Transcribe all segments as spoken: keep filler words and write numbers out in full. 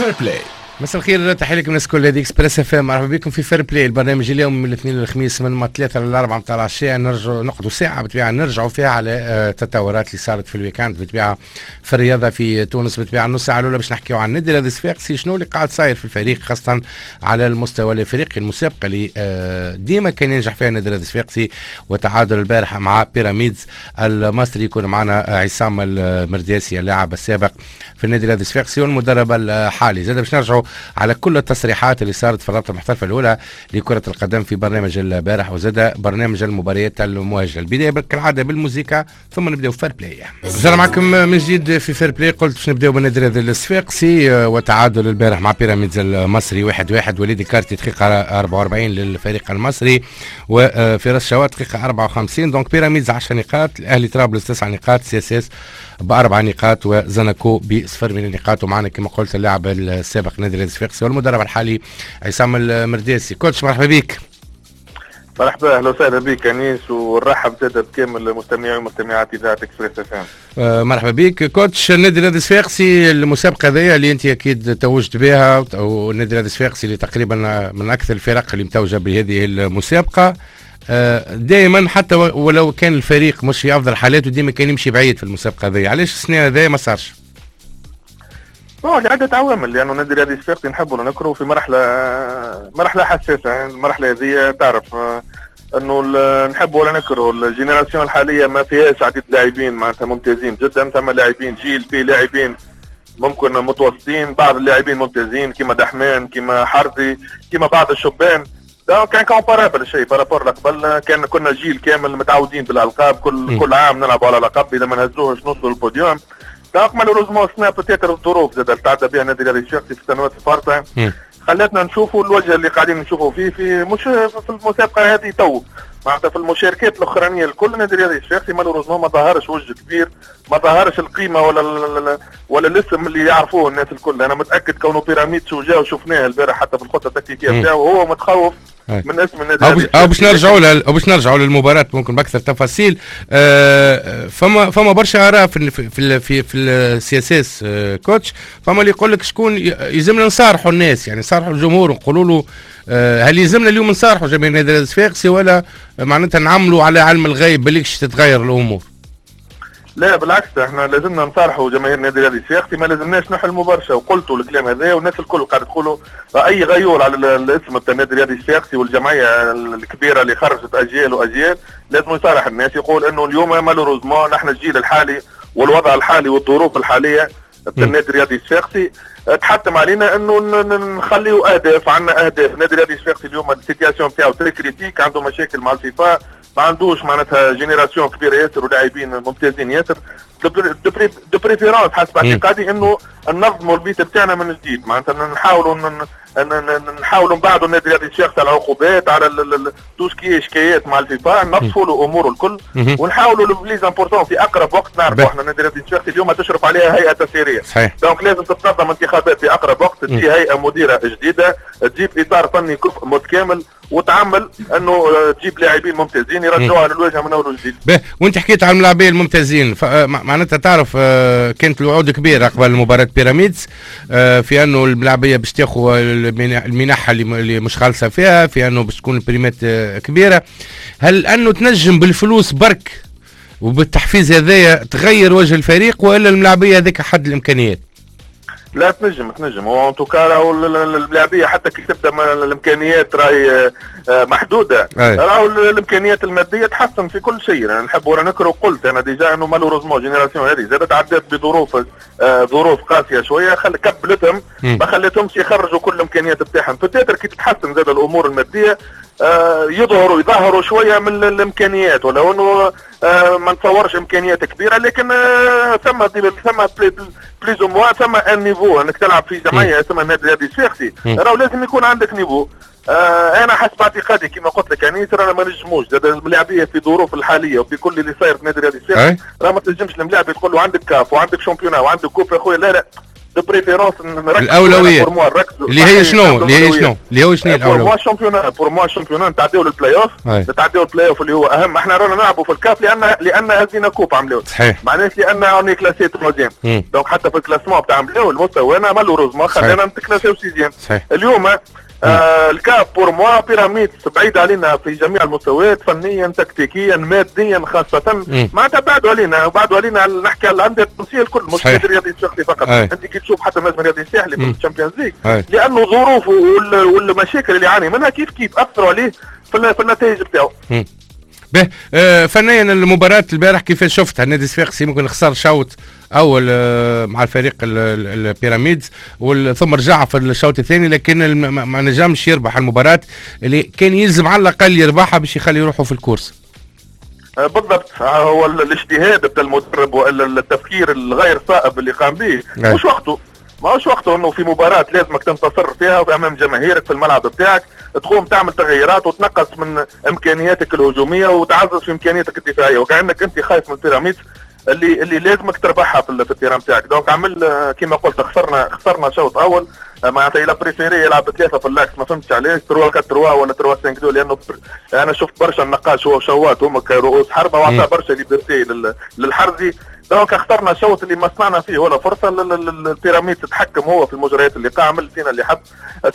Fair Play. مساء الخير، تحية لكم الناس الكل، هذه Express FM. مرحبا بكم في Fair Play، البرنامج اليوم من الاثنين للخميس من ما ثلاثة للأربعة متاع العشية. نرجعوا نقعدوا ساعة بالطبيعة نرجعوا فيها على التطورات اللي صارت في ال week-end بالطبيعة في الرياضة في تونس. بالطبيعة النص ساعة الأولى باش نحكيو عن النادي الرياضي الصفاقسي، شنو اللي قاعد صاير في الفريق خاصة على المستوى الافريقي، المسابقة اللي آه، ديما كان ينجح فيها النادي الرياضي الصفاقسي وتعادل البارح مع بيراميدز المصري. يكون معنا عصام المرداسي، اللاعب السابق في النادي الرياضي الصفاقسي والمدرب الحالي. زاد باش نرجعوا على كل التصريحات اللي صارت في الرابطة المحترفه الاولى لكرة القدم في برنامج البارح وزاد برنامج المباريات المؤجله. البداية كالعادة بالموسيقى ثم نبداو Fair Play. رجعنا معكم من جديد في Fair Play. قلت باش نبداو بالنادي الرياضي الصفاقسي وتعادل البارح مع بيراميدز المصري واحد واحد. وليد كارتي دقيقة أربعة وأربعين للفريق المصري وفراس شواط دقيقة أربعة وخمسين. donc بيراميدز عشر نقاط، الاهلي طرابلس تسع نقاط، CSS باربع نقاط وزنكو بصفر من النقاط. ومعنا كما قلت اللاعب السابق نادي الصفاقسي والمدرب الحالي عصام المرداسي. coach، مرحبا بك. مرحبا، اهلا وسهلا بك انيس، ونرحب زاد بكامل المستمعين ومستمعات اذاعة Express FM. آه مرحبا بك coach. النادي الرياضي الصفاقسي، المسابقة هذه اللي انت اكيد توجت بها، والنادي الرياضي الصفاقسي اللي تقريبا من اكثر الفرق اللي متوجه بهذه المسابقه، آه، دائما حتى ولو كان الفريق مش في افضل حالاته ديما كان يمشي بعيد في المسابقة هذه. علاش السنة هذه ما صارش؟ bon، لعدة عوامل، لأنه النادي الرياضي الصفاقسي نحبوا ولا نكرهوا في مرحلة مرحلة حساسة. المرحلة هذه تعرف آه، انه نحب ولا نكره ال génération الحالية ما فيهاش عديد لاعبين معناتها ممتازين جدا. ثم لاعبين جيل في لاعبين ممكن متوسطين، بعض اللاعبين ممتازين كما دحمان، كما حرزي، كما بعض الشبان. donc incomparable شيء par rapport قبل، كان كنا جيل كامل متعودين بالالقاب، كل م. كل عام نلعبوا على لقب، اذا ما نهزوهش نوصلوا لل podium. donc malheureusement السنة peut-être الظروف زاد تعدى بها النادي الرياضي الصفاقسي في السنوات الفارطه خلتنا نشوفوا الوجه اللي قاعدين نشوفوا فيه في مش في المسابقة هذه تو، معناتها في المشاركات الاخرانية الكل النادي الرياضي الصفاقسي malheureusement ما ظهرش وجه كبير، ما ظهرش القيمة ولا ولا الاسم اللي يعرفوه الناس الكل. انا متاكد كونه بيراميدز وجا وشفناه البارح حتى في الخطة التكتيكيه بتاعه وهو متخوف من اسم النادي. او باش نرجعوا او باش نرجعوا للمباراة ممكن باكثر تفاصيل. آه، فما فما برشا اراء في في في في ال CSS coach. فما اللي يقول لك شكون يلزمنا نصارحوا الناس، يعني نصارحوا الجمهور ونقولوا له آه، هل يلزمنا اليوم نصارحوا جماهير النادي الصفاقسي ولا معناتها نعملوا على علم الغيب بالكش تتغير الامور؟ لا بالعكس، احنا لازمنا نصارحوا جماهير النادي الرياضي الصفاقسي، ما لازمناش نحلموا برشا. وقلتوا الكلام هذا والناس الكل قاعد تقولوا، اي غيور على الاسم بتاع النادي الرياضي الصفاقسي والجمعية الكبيرة اللي خرجت اجيال واجيال لازم يصارح الناس، يقول انه اليوم malheureusement نحن الجيل الحالي والوضع الحالي والظروف الحالية بتاع النادي الرياضي الصفاقسي تحتم علينا انه نخليو اهداف، عندنا اهداف. النادي الرياضي الصفاقسي اليوم ال situation بتاعو très critique، عنده مشاكل مع الفيفا، ما عندوش معناتها génération كبيرة ياسر ولاعبين ممتازين ياسر. de préférence حسب اعتقادي انه ننظموا البيت بتاعنا من جديد، معناتها نحاولوا نحاولوا نبعدوا النادي الرياضي الصفاقسي على العقوبات، على tout ce qui est شكايات مع الفيفا، نصفوا له اموره الكل ونحاولوا le plus important في اقرب وقت. نعرفوا احنا النادي الرياضي الصفاقسي اليوم تشرف عليها هيئة تسييريه، صحيح. donc لازم تتنظم انتخابات في اقرب وقت، تجي هيئة مديره جديده، تجيب اطار فني كفء متكامل وتعمل انه تجيب لاعبين ممتازين يرجعوها للواجهة من اول وجديد. باهي، وانت حكيت على اللاعبين الممتازين، معناتها تعرف آه، كانت الوعود كبيرة قبل مباراة بيراميدز آه، في انه الملاعبيه باش تاخذ المنح اللي مش خالصة فيها، في انه باش تكون ال primeات آه، كبيره. هل انه تنجم بالفلوس برك وبالتحفيز هذايا تغير وجه الفريق والا الملاعبيه هذيك حد الامكانيات؟ لا، تنجم تنجم. هو en tout cas الملاعبيه حتى كي تبدا الامكانيات راهي آه، محدوده، راهو الامكانيات المادية تحسن في كل شيء. يعني نحب ولا نكره، قلت انا déjà انه malheureusement génération هذه زادت عدات بظروف آه، ظروف قاسية شويه، خل كبلتهم، ما خلتهمش يخرجوا كل الامكانيات بتاعهم. peut-être كي تتحسن زاد الامور المادية آه، يظهروا يظهروا شوية من الامكانيات، ولو انه آه، ما نتصورش امكانيات كبيره، لكن آه، ثم ثم plus ou moins ثم un niveau. انك تلعب في جمعية اسمها النادي الرياضي الصفاقسي راهو لازم يكون عندك niveau. آه انا حسب اعتقادي كما قلت لك يعني رانا ما نجموش زاد الملاعبيه في ظروف الحالية وفي كل اللي صاير في النادي الرياضي الصفاقسي، راه ما تنجمش الملاعب تقول له عندك كاف وعندك championnat وعندك coupe يا خويا. لا لا. de préférence الاولوية اللي هي شنو اللي هي شنو اللي هو شنو الاولوية؟ pour moi championnat، pour moi championnat، نتعداو للبلاي اوف، نتعداو البلاي اوف اللي هو اهم. احنا رانا نلعبوا في الكاف لان لان هزينا coupe عملوا، صحيح، معناش لان on est classé troisième. donc حتى في ال classement بتاع عملوا المستوى malheureusement خلينا نتكلاسيو sixième. اليوم آه الكاف pour moi بيراميدز بعيد علينا في جميع المستويات، فنيا تكتيكيا ماديا خاصة، معناتها بعدوا علينا بعدوا علينا. نحكي على الاندية التونسية الكل مش النادي الرياضي الصفاقسي فقط. أي. انت كي تشوف حتى النجم الرياضي الساحلي في ال Champions League، لانه ظروفه والمشاكل اللي يعاني منها كيف كيف اثروا عليه في النتائج بتاعه. به آه فنيا المباراة البارح كيفاش شفتها؟ النادي الصفاقسي ممكن خسر شوط اول آه مع الفريق البيراميدز، ثم رجع في الشوط الثاني، لكن ما نجمش يربح المباراة اللي كان يلزم على الاقل يربحها باش يخلي روحه في ال course. آه بالضبط، هو الاجتهاد بتاع المدرب والا التفكير الغير صائب اللي قام به مش وقته، ماهوش وقته انه في مباراة لازمك تنتصر فيها امام جماهيرك في الملعب بتاعك تقوم تعمل تغييرات وتنقص من امكانياتك الهجومية وتعزز في امكانياتك الدفاعية، وكانك انت خايف من البيراميدز اللي اللي لازمك تربحها في ال terrain بتاعك. donc عمل كما قلت، خسرنا خسرنا شوط اول، معناتها il a préféré يلعب ثلاثة في l'axe، ما فهمتش علاش ثلاثة أربعة ثلاثة ولا ثلاثة خمسة اثنين، لانه انا شفت برشا النقاش هو وشوات هما كرؤوس حربه وعطى برشا liberté للحرزي. donc اخترنا شوط اللي ما صنعنا فيه ولا فرصة، البيراميد تتحكم هو في المجريات اللي قام عمل فينا اللي حب،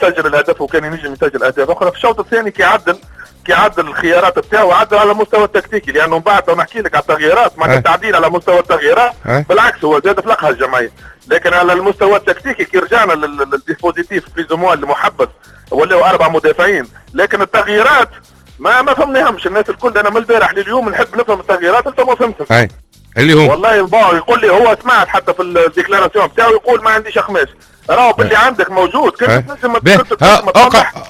سجل الهدف وكان ينجم يسجل اهداف اخرى. في الشوط الثاني كي عدل كي عدل الخيارات بتاعه عدل على المستوى التكتيكي، لانه من بعد نحكي لك على التغييرات مع التعديل على مستوى التغييرات بالعكس هو زاد فلقها الجمعية، لكن على المستوى التكتيكي كي رجعنا لل dispositif plus ou moins المحبس ولاو اربع مدافعين، لكن التغييرات ما ما فهمناهمش الناس الكل. انا من البارح لليوم نحب نفهم التغييرات انت ما فهمتهم. اللي هو والله bon يقول لي هو سمعت حتى في ال déclaration بتاعه يقول ما عنديش اخماس، راهو باللي عندك موجود كنت تنجم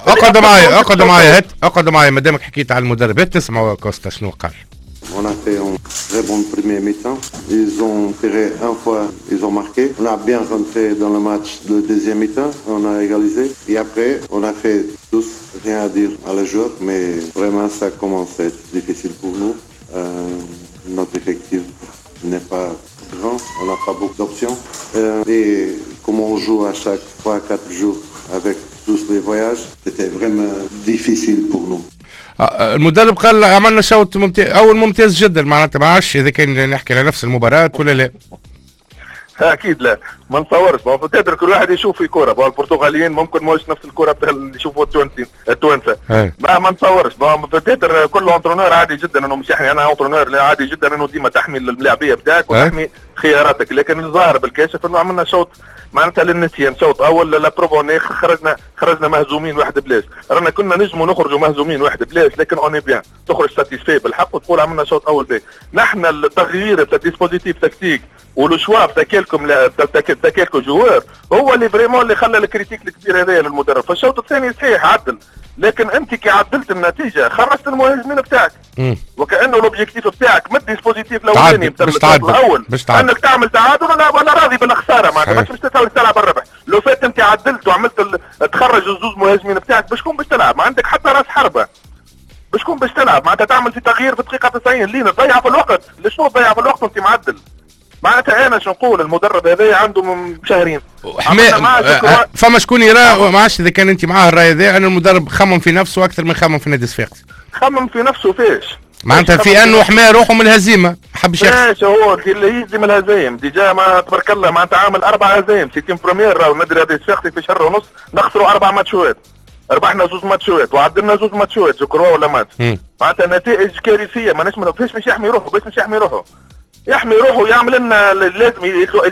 اقعد معايا اقعد معايا هات اقعد معايا ما دامك حكيت على المدرب، هات نسمعوا كوستا شنو قال. On a fait un très bon premier mi-temps. Ils ont tiré une fois, ils ont marqué. On a bien rentré dans le match le deuxième mi-temps, on a égalisé. Et après, on a fait tous, rien à dire à la joueur, mais vraiment ça commence à être difficile pour nous. Euh, notre effectif n'est pas grand, on n'a pas beaucoup d'options. Euh, et comme on joue à chaque trois quatre jours avec tous les voyages, c'était vraiment difficile pour nous. المدرب قال عملنا شوط ممتاز اول ممتاز جدا، معناتها ما عادش اذا كان نحكي على نفس المباراة ولا لا. اكيد لا، ما نتصورش. peut-être كل واحد يشوف في كورة، البرتغاليين ممكن ماهوش نفس الكورة بتاع اللي يشوفوا التونسيين التوانسة، ما ما نتصورش. peut-être كل entraîneur عادي جدا انه مش يحمي، انا entraîneur عادي جدا انه ديما تحمي الملاعبيه بتاعك وتحمي خياراتك، لكن الظاهر بالكاشف انه عملنا شوط معناتها للنسيان، شوط اول la preuve on est خرجنا خرجنا مهزومين واحد بلاش، رانا كنا نجموا نخرجوا مهزومين واحد بلاش، لكن on est bien تخرج satisfait بالحق وتقول عملنا شوط اول باهي. نحن التغيير تاع dispositif tactique و le choix تاع quelques تاع quelques joueurs هو اللي vraiment اللي خلى ال critique الكبير هذايا للمدرب. فالشوط الثاني صحيح عدل، لكن انت كي عدلت النتيجة خرجت المهاجمين بتاعك، وكانه l'objectif بتاعك من ال dispositif الاولاني بتاع الاول انك تعمل تعادل ولا ولا راضي بالخساره، معناتها مش باش تلعب الربح. لو فات انت عدلت وعملت ال... تخرج الزوز مهاجمين بتاعك باش تكون باش تلعب، ما عندك حتى راس حربه باش تكون باش تلعب، معناتها تعمل في تغيير في دقيقة تسعين لين تضيع في الوقت. لشنو تضيع في الوقت وانت معدل؟ معناتها انا شو نقول المدرب هذا عنده من شهرين حما... فما شكون يرى ما عادش اذا كان انت معاه الراي هذا ان المدرب خمم في نفسه اكثر من خمم في نادي صفاقسي. خمم في نفسه فيش؟ معناتها في انه حمى روحه من الهزيمة، حبش يخسر. هو اللي يهزم الهزايم déjà ما تبارك الله معناتها عامل اربع هزايم c'est une première. راهو النادي الرياضي الصفاقسي في شهر ونص نخسروا اربع ماتشات، ربحنا زوز ماتشات وعدلنا زوز ماتشات je crois ولا ماتش، معناتها نتائج كارثية. ماناش فاش مش يحمي روحه، باش مش يحمي روحه، يحمي روحه يعمل لنا لازم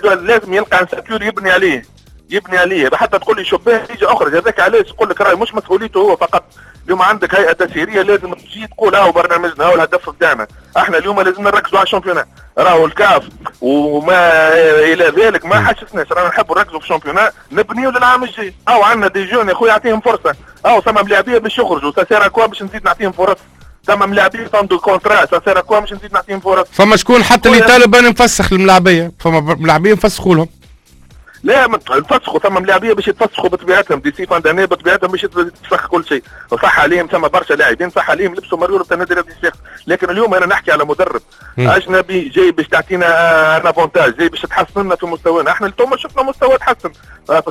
لازم يلقى un structure يبني عليه، يبني عليه حتى تقول لي شباه يجي اخرج. هذاك علاش يقول لك راهي مش مسؤوليته هو فقط. اليوم عندك هيئة تسييريه لازم تجي تقول هاو برنامجنا هاو الهدف بتاعنا، احنا اليوم لازم نركزوا على ال championnat، راهو الكاف وما الى ذلك ما حسسناش، رانا نحبوا نركزوا في ال championnat نبنيو للعام الجاي. او عندنا des jeunes يا خويا يعطيهم فرصة، او ثم ملاعبيه باش يخرجوا ça sert à quoi باش نزيد نعطيهم فرص، ثم ملاعبيه عنده contrat ça sert à quoi باش نزيد نعطيهم فرص. فما شكون حتى اللي طالب انا نفسخ الملاعبيه، فما ملاعبيه نفسخوا لهم. لا نفسخوا، ثم ملاعبيه باش يتفسخوا بطبيعتهم d'ici fin d'année بطبيعتهم باش يتفسخ كل شيء، وصح عليهم ثم برشا لاعبين صح عليهم لبسوا مريول تاع النادي الرياضي الصفاقسي. لكن اليوم انا نحكي على مدرب م. اجنبي جاي باش تعطينا un avantage، جاي باش تحسن لنا في مستوانا. احنا اليوم شفنا مستوى تحسن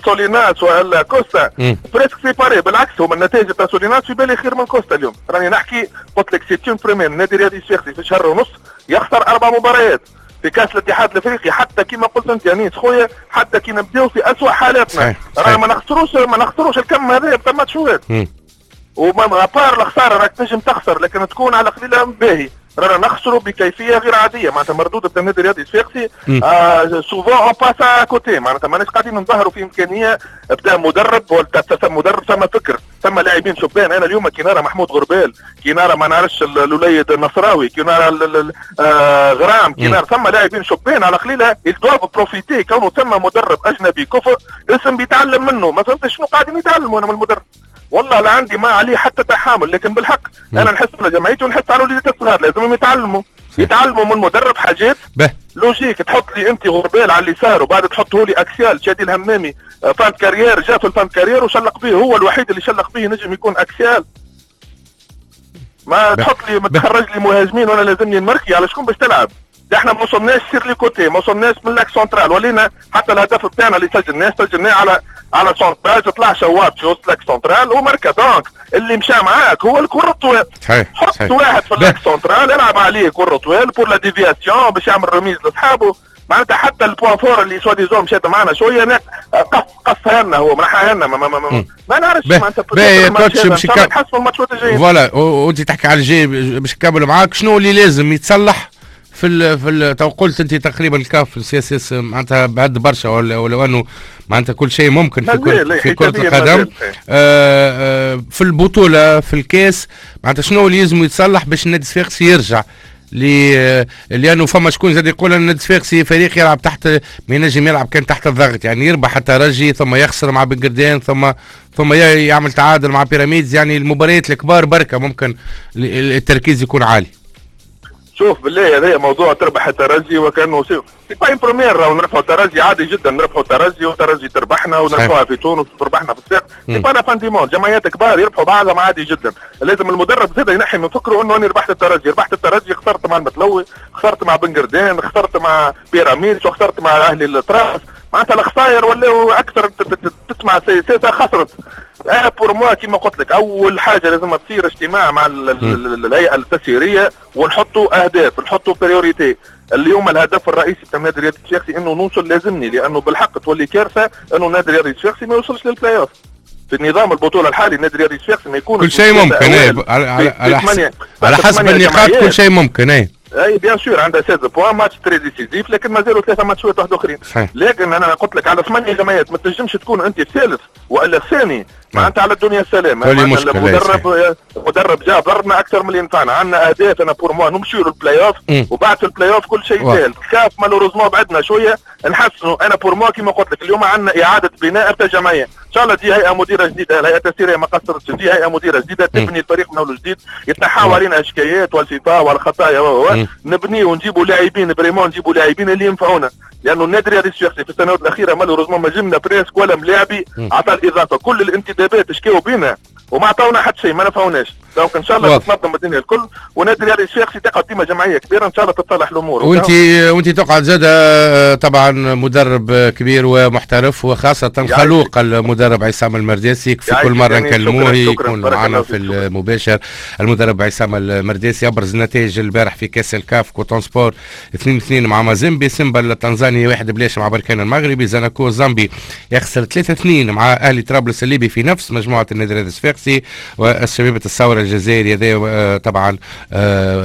سوليناس ولا كوستا presque c'est pareil، بالعكس هما النتائج تاع سوليناس في بالي خير من كوستا. اليوم راني نحكي قلت لك c'est une première، النادي الرياضي الصفاقسي في شهر ونص يخسر اربع مباريات في كاس الاتحاد الافريقي، حتى كما قلت انت يا نيس خويا حتى كي نبداو في اسوء حالاتنا راه ما نخسروش ما نخسروش الكم هذا بتاع ماتشات، وما à part الخسارة راك تنجم تخسر لكن تكون على قليله باهي. رانا نخسروا بكيفية غير عادية، معناتها مردود تاع النادي الرياضي الصفاقسي آه souvent on passe à côté، معناتها ماناش قاعدين نظهروا في امكانية بتاع مدرب ولا مدرب، ثم فكر ثم لاعبين شبان. انا اليوم كي نرى محمود غربال، كي نرى ما نعرفش الوليد النصراوي، كي نرى آه غرام، كي نرى ثم لاعبين شبان على قليله ils doivent profiter كونه ثم مدرب اجنبي كفء اسم بيتعلم منه. ما فهمتش شنو قاعدين يتعلموا انا من المدرب، والله لا عندي ما عليه حتى تحامل، لكن بالحق م. انا نحس على جمعيتي ونحس على وليدات الصغار لازمهم يتعلموا يتعلموا من مدرب حاجات logique. تحط لي انت غربال على اليسار وبعد تحطه لي axial شادي الهمامي fin de carrière، جا في ال fin de carrière وشلق به، هو الوحيد اللي شلق به نجم يكون axial. ما تحط لي ما تخرج لي مهاجمين وانا لازمني نمركي على شكون باش تلعب. احنا ما وصلناش sur les côtés، ما وصلناش من l'axe central، ولينا حتى الهدف بتاعنا اللي سجلناه سجلناه على على centrage، طلع شواط في وسط l'axe central وماركا. donc اللي مشى معاك هو الكره الطوال، حط واحد في l'axe central العب عليه كره طوال pour la déviation باش يعمل remise لصحابه. معناتها حتى ال point fort اللي soi-disant مشات معنا شوية قص قصها لنا هو منحها لنا ما, ما, ما, ما, ما نعرفش معناتها باهي coach باش نحسوا الماتشات الجايين. voilà وانت تحكي على الجاي باش نكمل معاك، شنو اللي لازم يتصلح في ال في ال تو قلت انت تقريبا الكاف ال CSS معناتها بعد برشا، ولا ولو انه معناتها كل شيء ممكن في كرة في كرة القدم آه آه في البطولة في الكاس معناتها شنو اللي لازم يتصلح باش النادي الصفاقسي يرجع لانه فما شكون زاد يقول ان النادي الصفاقسي فريق يلعب تحت ما ينجم يلعب كان تحت الضغط، يعني يربح الترجي ثم يخسر مع بن قردان ثم ثم يعمل تعادل مع بيراميدز، يعني المباريات الكبار بركة ممكن التركيز يكون عالي. شوف بالله هذا موضوع تربح الترجي وكانه c'est pas une première، راهو نربحوا الترجي عادي جدا، نربحوا الترجي والترجي تربحنا ونربحوها في تونس وتربحنا في الساق، c'est pas la fin du monde. جمعيات كبار يربحوا بعضهم عادي جدا. لازم المدرب زاد ينحي من فكرة انه انا ربحت الترجي، ربحت الترجي خسرت مع المتلوي، خسرت مع بن قردان، خسرت مع بيراميدز، وخسرت مع اهلي التراس. معناتها الخسائر ولاو اكثر تسمع سياسة خسرت. انا pour moi كيما قلت لك اول حاجة لازم تصير اجتماع مع الهيئة التسييريه ونحطوا اهداف، نحطوا priorités. اليوم الهدف الرئيسي تاع النادي الرياضي الصفاقسي انه نوصل، لازمني لانه بالحق تولي كارثة انه النادي الرياضي الصفاقسي ما يوصلش للبلاي اوف. في النظام البطولة الحالي النادي الرياضي الصفاقسي ما يكون كل شيء ممكن ايه على على حسب على حسب النقاط كل شيء ممكن ايه اي bien sûr عندها ستة عشر points match très décisif، لكن مازالوا ثلاثة ماتشات واحد اخرين. لكن انا قلت لك على ثمانية جمعيات ما تنجمش تكون انت الثالث والا الثاني، معناتها على الدنيا السلام. المدرب مدرب جا ضربنا اكثر من اللي نفعنا، عندنا اهداف. انا pour moi نمشيو للبلاي اوف وبعد في البلاي اوف كل شيء سهل. كاف malheureusement بعدنا شوية نحسنوا. انا pour moi كيما قلت لك اليوم عندنا اعاده بناء تاع جمعية، ان شاء الله تجي هيئة مديره جديدة، الهيئة التسييريه ما قصرتش، تجي هيئة مديره جديدة تبني الفريق من اول جديد، يتنحاو علينا شكايات والفيفا والخطايا و نبني ونجيبوا لاعبين vraiment، نجيبوا لاعبين اللي ينفعونا. لانه النادي الرياضي الصفاقسي في السنوات الاخيرة malheureusement ما جبنا presque ولا ملاعبي عطى الاضافة، كل الانتدابات شكاو بينا وما عطاونا حتى شيء، ما نفعوناش. donc ان شاء الله تتنظم الدنيا الكل ونادي الرياضي الصفاقسي تقعد ديما جمعية كبيرة ان شاء الله تتصلح الامور. وانت وانت تقعد زاد طبعا مدرب كبير ومحترف وخاصة خلوق المدرب عصام المرداسي، في كل مرة نكلموه يكون معنا في المباشر. المدرب عصام المرداسي ابرز نتائج البارح في كاس الكاف، كوتون سبور اثنين اثنين مع مازيمبي، سيمبا التنزاني واحد بلاش مع بركان المغربي، زاناكو الزامبي يخسر ثلاثة اثنين مع اهلي طرابلس الليبي في نفس مجموعة النادي الرياضي الصفاقسي، والشبيبه الثورة الجزائري هذا طبعا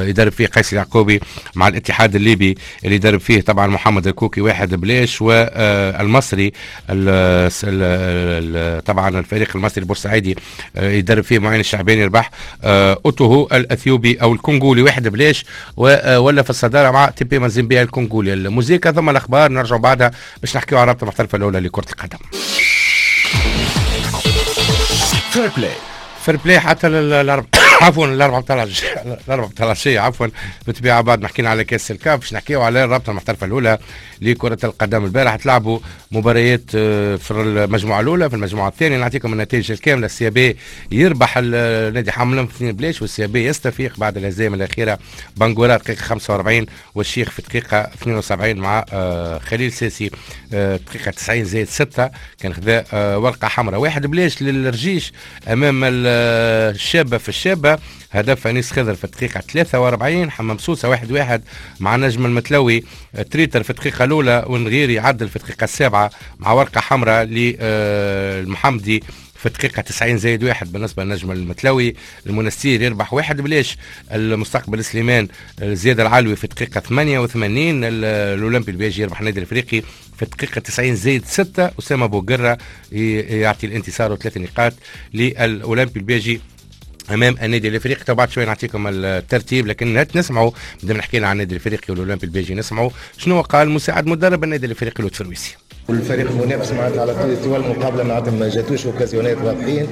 يدرب فيه قيس اليعقوبي مع الاتحاد الليبي اللي يدرب فيه طبعا محمد الكوكي واحد بلاش، والمصري طبعا الفريق المصري البورسعيدي يدرب فيه معين الشعباني يربح اوتوهو الاثيوبي او الكونغولي واحد بلاش، ولا في الصدارة مع تي بي مازيمبي الكونغولي. الموزيكا ثم الاخبار نرجع بعدها باش نحكيو على الرابطة المحترفه الاولى لكرة القدم. Fair Play Fair Play حتى للاربعه عفوا الاربعة بتاع الاربعة بتاع العشية عفوا. بالطبيعة بعد ما حكينا على كاس الكاف باش نحكيو على الرابطة المحترفه الاولى لكرة القدم. البارح تلعبوا مباريات في المجموعة الاولى، في المجموعة الثانية نعطيكم النتائج الكاملة. ال CAB يربح النادي حمام الأنف اثنين بلاش، وال CAB يستفيق بعد الهزيمة الاخيرة بانغورا دقيقة خمسة وأربعين والشيخ في دقيقة اثنين وسبعين مع خليل ساسي دقيقة تسعين زائد ستة كان خذا ورقة حمراء. واحد بلاش للرجيش امام الشابة في الشابة، هدف انيس خضر في الدقيقة ثلاثة وأربعين. حمام سوسة واحد واحد مع نجم المتلوي، تريتر في الدقيقة الاولى ونغيري يعدل في الدقيقة السابعة مع ورقة حمراء للمحمدي في الدقيقة تسعين زائد واحد بالنسبة للنجم المتلوي. المنستير يربح واحد بلاش المستقبل سليمان زياد العلوي في الدقيقة ثمانية وثمانين. الأولمبي الباجي يربح النادي الافريقي في الدقيقة تسعين زائد ستة. أسامة بوقرة يعطي الانتصار وثلاث نقاط للأولمبي الباجي امام النادي الافريقي. تو بعد شوي نعطيكم الترتيب، لكن نسمعوا بدنا نحكي عن النادي الافريقي والاولمبي الباجي، نسمعوا شنو قال مساعد مدرب النادي الافريقي لطفي الرويسي. والفريق المنافس معناتها على طوال المقابلة معناتها ما جاتوش occasion ات واضحين.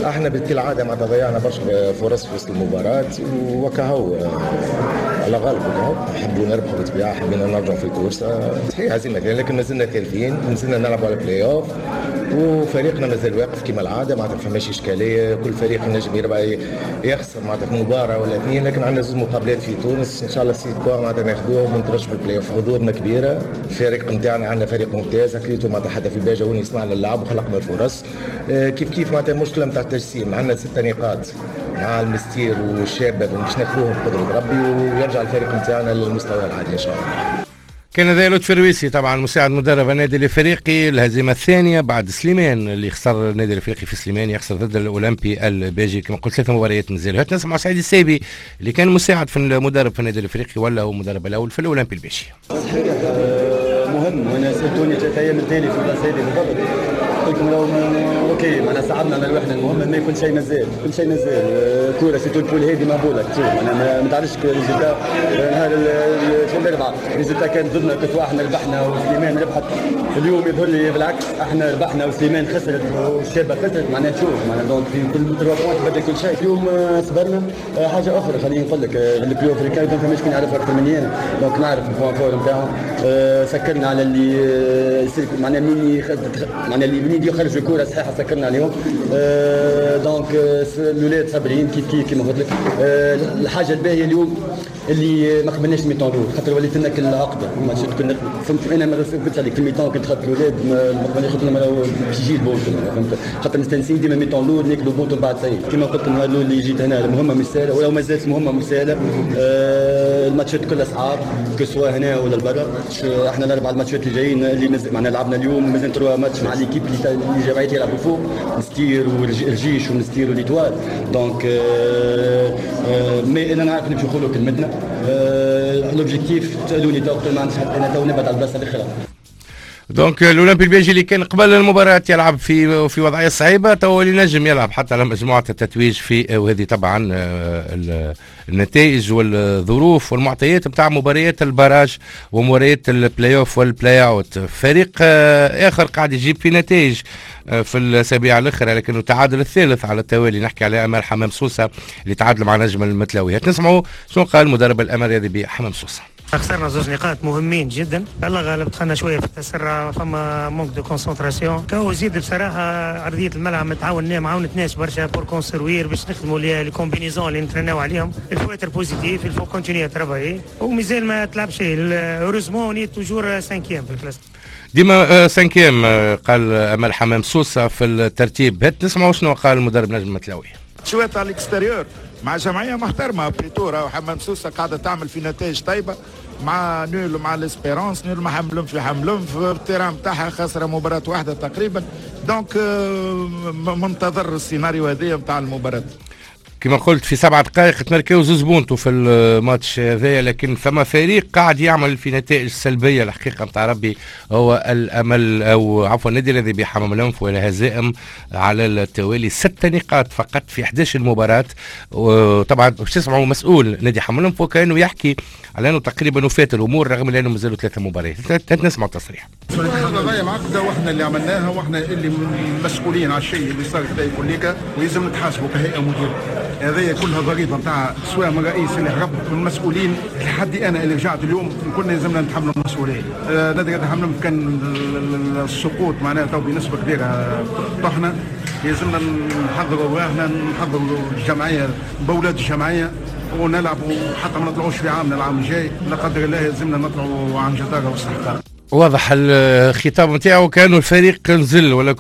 احنا بالعادة معناتها ضيعنا برشا فرص في وسط المباراة وكهو على غالب وكهو حبوا نربحوا بالطبيعة، حبينا نرجعوا في ال course صحيح هزيمة لكن مازلنا ثالثين، مازلنا نلعبوا على بلاي اوف وفريقنا مازال واقف كما العادة معناتها ما فماش اشكالية. كل فريق ينجم يربح يخسر معناتها في مباراة ولا اثنين، لكن عندنا زوج مقابلات في تونس ان شاء الله six points معناتها ناخذوهم ونترشحوا البلاي اوف. حضورنا كبيرة، الفريق نتاعنا عندنا فريق ممتاز كريتو معناتها حتى في الباجه وين يصنع اللعب وخلقنا الفرص. كيف كيف معناتها مشكلة نتاع التجسيم، عندنا ستة نقاط مع المستير والشابة باش ناخذوهم بقدره ربي ويرجع الفريق نتاعنا للمستوى العادي ان شاء الله. كان هذا لطفي الرويسي طبعا مساعد مدرب النادي الافريقي، الهزيمة الثانية بعد سليمان اللي خسر النادي الافريقي في سليمان، يخسر ضد الاولمبي الباجي كما قلت ثلاث مباريات مازالوا. هات نسمع سعيد السيبي اللي كان مساعد في المدرب في النادي الافريقي ولا هو مدرب الاول في الاولمبي الباجي. صحيح مهم، وانا سالتوني ثلاث ايام التالي في البلاصة هذه بالضبط قلت لكم لو OK معناها صعبنا على الوحدة المهم ما كل شيء مازال، كل شيء مازال كورة surtout ال poule هذه مهبوله تشوف معناها ما تعرفش résultat نهار الاربعاء résultat كان ضدنا كنت احنا ربحنا وسليمان ربحت، اليوم يظهر لي بالعكس احنا ربحنا وسليمان خسرت والشابة خسرت معناها تشوف معناها donc في كل trois points تبدل كل شيء. اليوم صبرنا حاجة اخرى خليني نقول لك ال Club Africain ما فماش كون يعرف اكثر مني انا donc نعرف ال point fort نتاعهم، سكرنا على اللي معناها منين معناها اللي منين يخرجوا الكره صحيحه سكرنا عليهم donc الاولاد صابرين كيف كيف كيما قلت لك. الحاجة الباهيه اليوم اللي ما قبلناش mi-temps الاول خاطر وليت لنا كل عقده ما كنا فهمت انا ما قلتش عليك في ال mi-temps كنت خاطر الاولاد ما قبلناش خاطر باش يجي البونت فهمت خاطر مستانسين ديما mi-temps الاول ناكلوا بونت ومن بعد سي كيما قلت النهار الاول اللي جيت هنا المهمة مش سهلة ولو ما زالت المهمة مش سهلة. الماتشات كلها صعاب que ce soit هنا ولا لبرا، احنا الاربع الماتشات اللي جايين اللي معنا لعبنا اليوم مازال trois matchs مع l'équipe اللي جمعية يلعبوا فوق مستير والجيش ومستير و l'Étoile donc mais انا نعرف نمشي نقولوا كلمتنا l'objectif تسالوني تو ما عنديش حتى انا تو نبعد على البلاصة الاخرى. donc الاولمبي الباجي اللي كان قبل المباراة يلعب في في وضعية صعيبة تو اللي نجم يلعب حتى على مجموعة التتويج في، وهذه طبعا النتائج والظروف والمعطيات نتاع مباريات ال barrage ومباريات ال play-off وال play-out. فريق اخر قاعد يجيب في نتائج في الاسابيع الاخرى لكنه تعادل الثالث على التوالي، نحكي على امال حمام سوسة اللي تعادل مع نجم المتلاوي. نسمعوا شنو قال مدرب الامل الرياضي بحمام سوسة. خسرنا زوج نقاط مهمين جدا، الله غالب دخلنا شوية في التسرع، فما manque de concentration كهو زيد بصراحة ارضية الملعب ما تعاوننا ما عاونتناش برشا pour construire باش نخدموا les combinaisons اللي نترناو عليهم. il faut être positif، il faut continuer à travailler ومازال ما تلعب شيء. heureusement on est toujours cinquième في ال classe ديما cinquième قال امل حمام سوسة في الترتيب. هات نسمعوا شنو قال المدرب نجم المتلاوي. شوية على ال extérieur مع جمعية محترمه بريتورا وحمام سوسة قاعدة تعمل في نتائج طيبة مع nul مع l'Espérance، nul مع حملم في حملم في ال terrain نتاعها خسره مباراة واحدة تقريبا donc منتظر السيناريو هذايا نتاع المباراة. كما قلت في سبعة دقائق تمركوا زوز بونتو في الماتش هذايا، لكن فما فريق قاعد يعمل في نتائج سلبية الحقيقة نتاع ربي هو الامل او عفوا النادي الذي بحمام الانف والهزائم على التوالي ست نقاط فقط في إحدى عشرة مباراة. وطبعا باش تسمعوا مسؤول نادي حمام الانف وكانه يحكي على انه تقريبا وفات الامور رغم انه مازالوا ثلاثة مباريات. نسمعوا التصريح. القضايا معقدة واحنا اللي عملناها واحنا اللي مسؤولين على الشيء اللي صار في كليكا ويلزم نتحاسبوا كهيئة مديره. هذه كلها ضريبة نتاع سواء من الرئيس اللي هرب من المسؤولين لحد انا اللي رجعت اليوم كنا لازمنا نتحملوا المسؤولية. نادي رياضي حمام الأنف كان السقوط معناها تو بنسبة كبيرة طحنا، لازمنا نحضروا رواحنا، نحضروا الجمعية باولاد الجمعية ونلعبوا حتى ما نطلعوش في عامنا العام الجاي، لا قدر الله لازمنا نطلعوا عن جداره واستحقاق. واضح الخطاب نتاعو كانوا الفريق نزل، ولا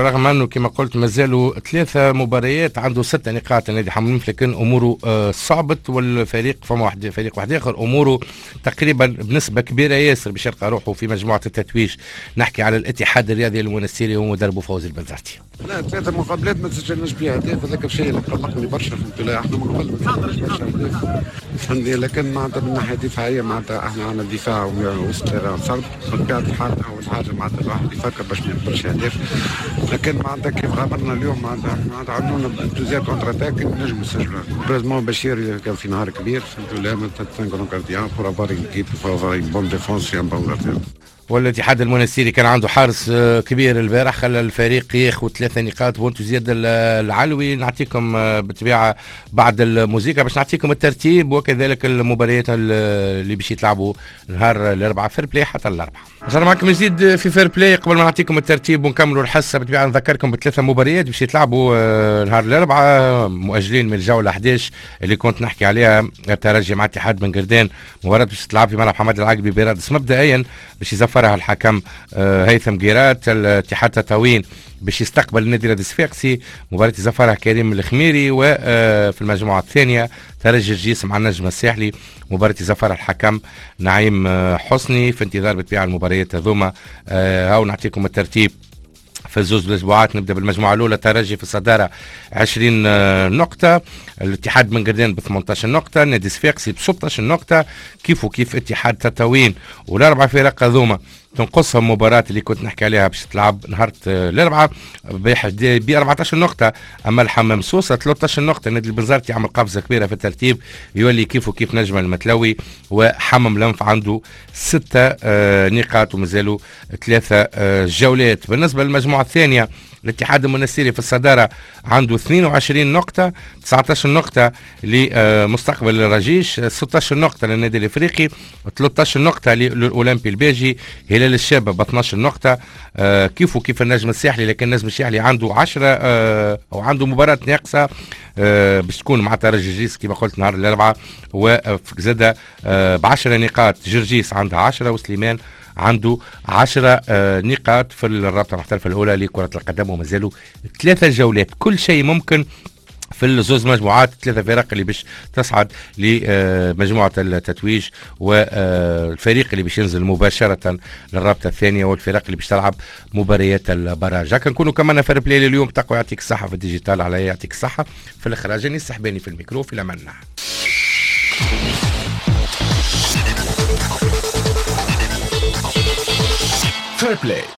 رغم انه كما قلت مازالوا ثلاثة مباريات عنده ستة نقاط النادي حمام الأنف، لكن اموره صعبت، والفريق فما واحد فريق واحد اخر اموره تقريبا بنسبة كبيرة ياسر باش يلقى روحه في مجموعة التتويج. نحكي على الاتحاد الرياضي المونستيري ومدربه فوزي البنزرتي. لا ثلاثة مقابلات ما سجلناش بها اهداف، هذاك الشيء اللي قلقني برشا في البطولة، احنا من قبل ما سجلناش برشا اهداف فهمتني، لكن معناتها من ناحية دفاعية معناتها احنا عندنا دفاع وسط terrain صلب بطبيعة الحال. اول حاجة معناتها الواحد يفكر باش ما يقبلش اهداف، لكن معناتها كيف غامرنا اليوم معناتها معناتها عملونا plusieurs contre-attaques نجموا نسجلوا. heureusement بشير كان في نهار كبير فهمتوا، لا معناتها un grand gardien pour avoir une équipe pour avoir une bonne défense un bon gardien. والاتحاد المونستيري كان عنده حارس كبير البارح خلى الفريق ياخذ ثلاثة نقاط بونتو زياد العلوي. نعطيكم بالطبيعة بعد الموسيقى باش نعطيكم الترتيب وكذلك المباريات اللي باش يتلعبوا نهار الاربعاء Fair Play حتى الاربعاء. رجعنا معكم جديد في Fair Play. قبل ما نعطيكم الترتيب ونكملوا الحصة بالطبيعة نذكركم بثلاثة مباريات باش يتلعبوا نهار الاربعاء مؤجلين من الجولة أحد عشر اللي كنت نحكي عليها، الترجي مع اتحاد بن قردان، مباراة باش تلعب في ملعب حماد العقبي برادس مبدئيا باش يزفرها الحكم هيثم قيرات. الاتحاد تطاوين باش يستقبل النادي الرياضي الصفاقسي، مباراة يزفرها كريم الخميري. وفي المجموعة الثانية ترجي الجيس مع النجم الساحلي، مباراة يزفرها الحكم نعيم حسني. في انتظار بالطبيعة المباريات هذوما هاو نعطيكم الترتيب في الزوز الاسبوعات. نبدا بالمجموعة الاولى، ترجي في الصدارة عشرين نقطة، الاتحاد بن قردان ب ثمانية عشر نقطة، النادي الصفاقسي ب ستة عشر نقطة، كيف وكيف اتحاد تطاوين. والاربع فرق هذوما تنقصهم مباراة اللي كنت نحكي عليها باش تلعب نهار الاربعاء ب أربعة عشر نقطة. اما الحمام سوسة ثلاثة عشر نقطة، النادي البنزرتي يعمل قفزة كبيرة في الترتيب يولي كيف وكيف نجم المتلوي، وحمام الأنف عنده ستة نقاط ومازالوا ثلاثة جولات. بالنسبة للمجموعة الثانية، الاتحاد المنستيري في الصدارة عنده اثنين وعشرين نقطة، تسعة عشر نقطة لمستقبل الرجيش، ستة عشر نقطة للنادي الافريقي، ثلاثة عشر نقطة للأولمبي الباجي، هلال الشابة ب اثني عشر نقطة، كيف وكيف النجم الساحلي، لكن النجم الساحلي عنده عشرة أو عنده مباراة ناقصة باش تكون مع ترجي جرجيس كما قلت نهار الأربعاء، وزاد ب عشرة نقاط. جرجيس عندها عشرة وسليمان عنده عشرة نقاط في الرابطة المحترفة الأولى لكرة القدم، ومازالوا ثلاثة جولات. كل شيء ممكن في الزوز مجموعات، ثلاثة فرق اللي باش تصعد لمجموعة التتويج، والفريق اللي باش ينزل مباشرة للرابطة الثانية، والفرق اللي باش تلعب مباريات ال barrage. هكا نكونوا كمان Fair Play اليوم. تقوى يعطيك الصحة في ال digital، علي يعطيك الصحة في الإخراج، أنيس السحباني في الميكرو. في الأمان. Fair Play.